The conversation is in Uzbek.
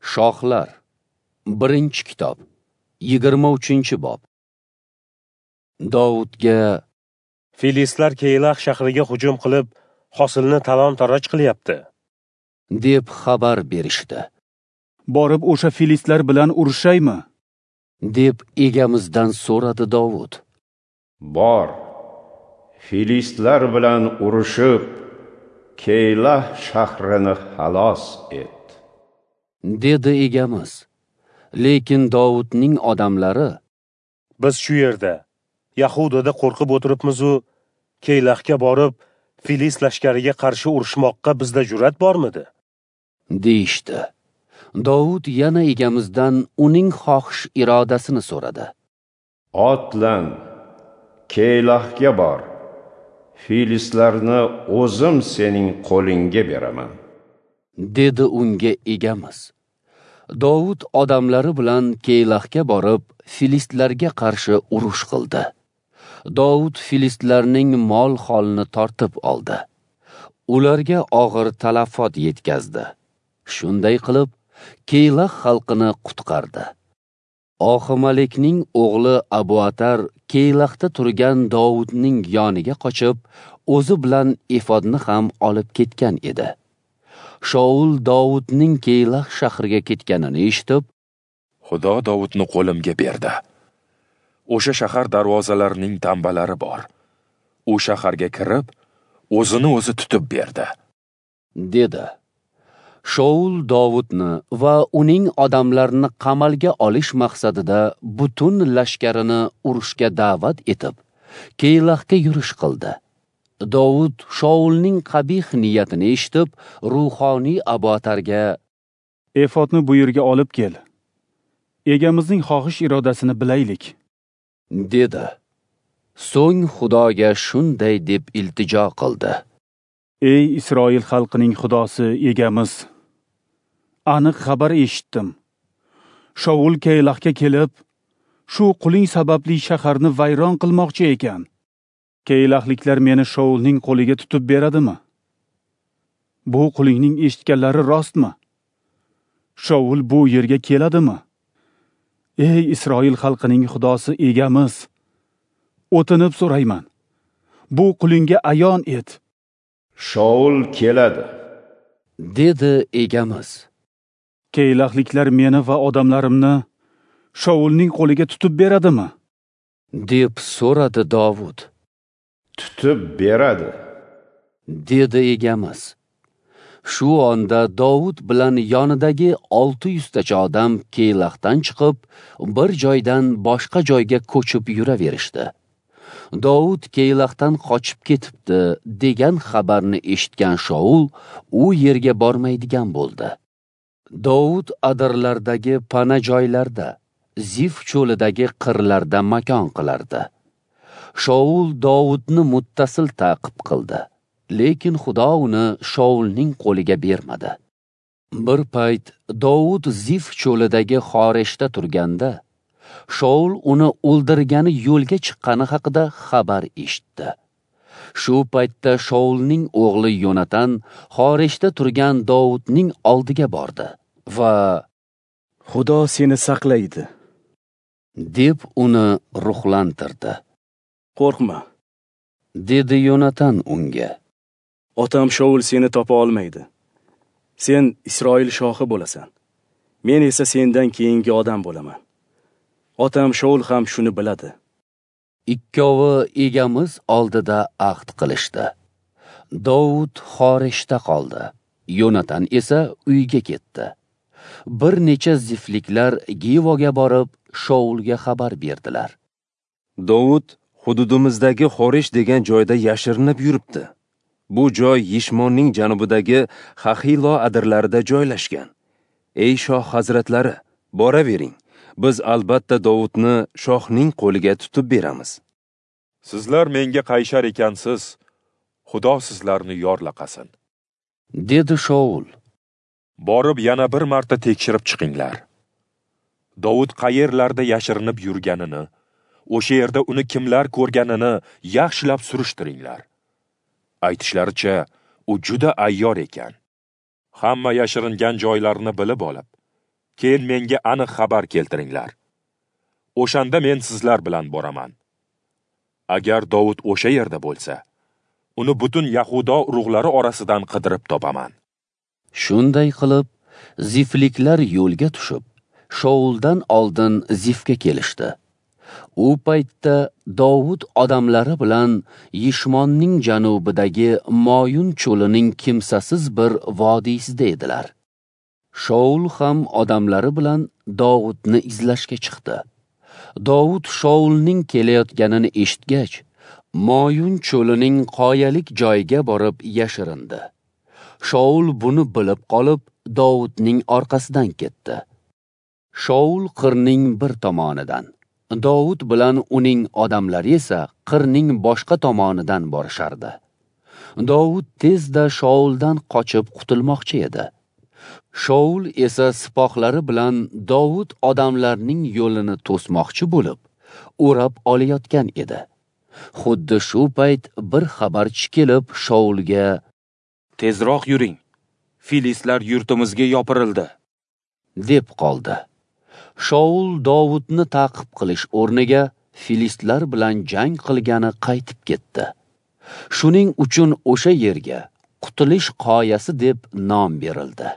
Shohlar, 1-kitob, 23-bob. Dovudga: Filistlar Keylah shahriga hujum qilib, hosilni talon-taroj qilyapti, deb xabar berishdi. Borib o'sha filistlar bilan urushaymi? Deb egamizdan so'radi Dovud. Bor, filistlar bilan urushib, Keylah shahrini xalos et, dedi egamiz. Lekin Dovudning odamlari: Biz shu yerda, Yahudada qo'rqib o'tiribmiz-u, Keylahga borib, Filist lashkariga qarshi urushmoqqa bizda jur'at bormidi? Deyishdi. Dovud yana egamizdan uning xohish irodasini so'radi. Otlan, Keylahga bor. Filistlarni o'zim sening qo'lingga beraman, dedi unga egamiz. Dovud odamlari bilan Keylahga borib, filistlarga qarshi urush qildi. Dovud filistlarning mol-holini tortib oldi. Ularga og'ir talafot yetkazdi. Shunday qilib, Keylah xalqini qutqardi. Oximalekning o'g'li Abuatar Keylahda turgan Dovudning yoniga qochib, o'zi bilan efodni ham olib ketgan edi. Shaul Dovudning Keylah shahriga ketganini eshitib, Xudo Dovudni qo'limga berdi. O'sha shahar darvozalarining tambalari bor. U shaharga kirib, o'zini o'zi tutib berdi, dedi. Shaul Dovudni va uning odamlarini qamalga olish maqsadida butun lashkarini urushga da'vat etib, Keylahga yurish qildi. Dovud Shaulning qabih niyatini eshitib, ruhoniy Abuatarga: Efodni bu yerga olib kel. Egamizning xohish irodasini bilaylik, dedi. So'ng Xudoga shunday deb iltijo qildi: Ey Isroil xalqining Xudosi egamiz, aniq xabar eshitdim. Shaul Keylahga kelib, shu quling sababli shaharni vayron qilmoqchi ekan. Keylahliklar meni Shaulning qo'liga tutib beradimi? Bu qulingning eshitganlari rostmi? Shaul bu yerga keladimi? Ey Isroil xalqining Xudosi egamiz, o'tinib so'rayman. Bu qulingga ayon et. Shaul keladi, dedi egamiz. Keylahliklar meni va odamlarimni Shaulning qo'liga tutib beradimi? Deb so'radi Dovud. Tutib beradi, dedi egamiz. Shu onda Dovud bilan yonidagi 600 tacha odam Keylahdan chiqib, bir joydan boshqa joyga ko'chib yuraverishdi. Dovud Keylahdan qochib ketibdi degan xabarni eshitgan Shaul u yerga bormaydigan bo'ldi. Dovud adirlardagi pana joylarda, Zif cho'lidagi qirlarda makon qilardi. Shaul Dovudni muttasil ta'qib qildi, lekin Xudo uni Shaulning qo'liga bermadi. Bir payt Dovud Zif cho'lidagi Xoreshda turganda, Shaul uni o'ldirgani yo'lga chiqqani haqida xabar eshitdi. Shu paytda Shaulning o'g'li Yonatan Xoreshda turgan Dovudning oldiga bordi va Xudo seni saqlaydi, deb uni ruhlantirdi. Qo'rqma, dedi Yonatan unga. Otam Shaul seni topa olmaydi. Sen Isroil shohi bo'lasan. Men esa sendan keyingi odam bo'laman. Otam Shaul ham shuni biladi. Ikkovi egamiz oldida ahd qilishdi. Dovud Xoreshda qoldi. Yonatan esa uyga ketdi. Bir necha zifliklar Givoga borib, Shaulga xabar berdilar. Dovud hududimizdagi Xoresh degan joyda yashirinib yuribdi. Bu joy Yishmonning janubidagi Xahilo adirlarida joylashgan. Ey shoh hazratlari, boravering. Biz albatta Dovudni shohning qo'liga tutib beramiz. Sizlar menga qayshar ekansiz, Xudo sizlarni yorlaqasin, dedi Shaul. Borib yana bir marta tekshirib chiqinglar. Dovud qayerlarda yashirinib yurganini, o'sha yerda uni kimlar ko'rganini yaxshilab surishtiringlar. Aytishlaricha, u juda ayyor ekan. Hamma yashiringan joylarini bilib olib, Keyin menga aniq xabar keltiringlar. O'shanda men sizlar bilan boraman. Agar Dovud o'sha yerda bo'lsa, uni butun Yahudo urug'lari orasidan qidirib topaman. Shunday qilib, zifliklar yo'lga tushib, Shouldan oldin Zifga kelishdi. U paytda Dovud odamlari bilan Yishmonning janubidagi Moyun cho'lining kimsasiz bir vodiysida edilar. Shoul ham odamlari bilan Dovudni izlashga chiqdi. Dovud Shoulning kelayotganini eshitgach, Moyun cho'lining qoyalik joyiga borib yashirindi. Shoul buni bilib qolib, Dovudning orqasidan ketdi. Shoul qirning bir tomonidan, Dovud bilan uning odamlari esa qirning boshqa tomonidan borishardi. Dovud tezda Shouldan qochib qutulmoqchi edi. Shoul esa sipohlari bilan Dovud odamlarning yo'lini to'smoqchi bo'lib, o'rab olayotgan edi. Xuddi shu payt bir xabarchi kelib Shoulga: "Tezroq yuring. Filistlar yurtimizga yopirildi", deb qoldi. Shoul Dovudni ta'qib qilish o'rniga filistlar bilan jang qilgani qaytib ketdi. Shuning uchun o'sha yerga Qutulish qoyasi deb nom berildi.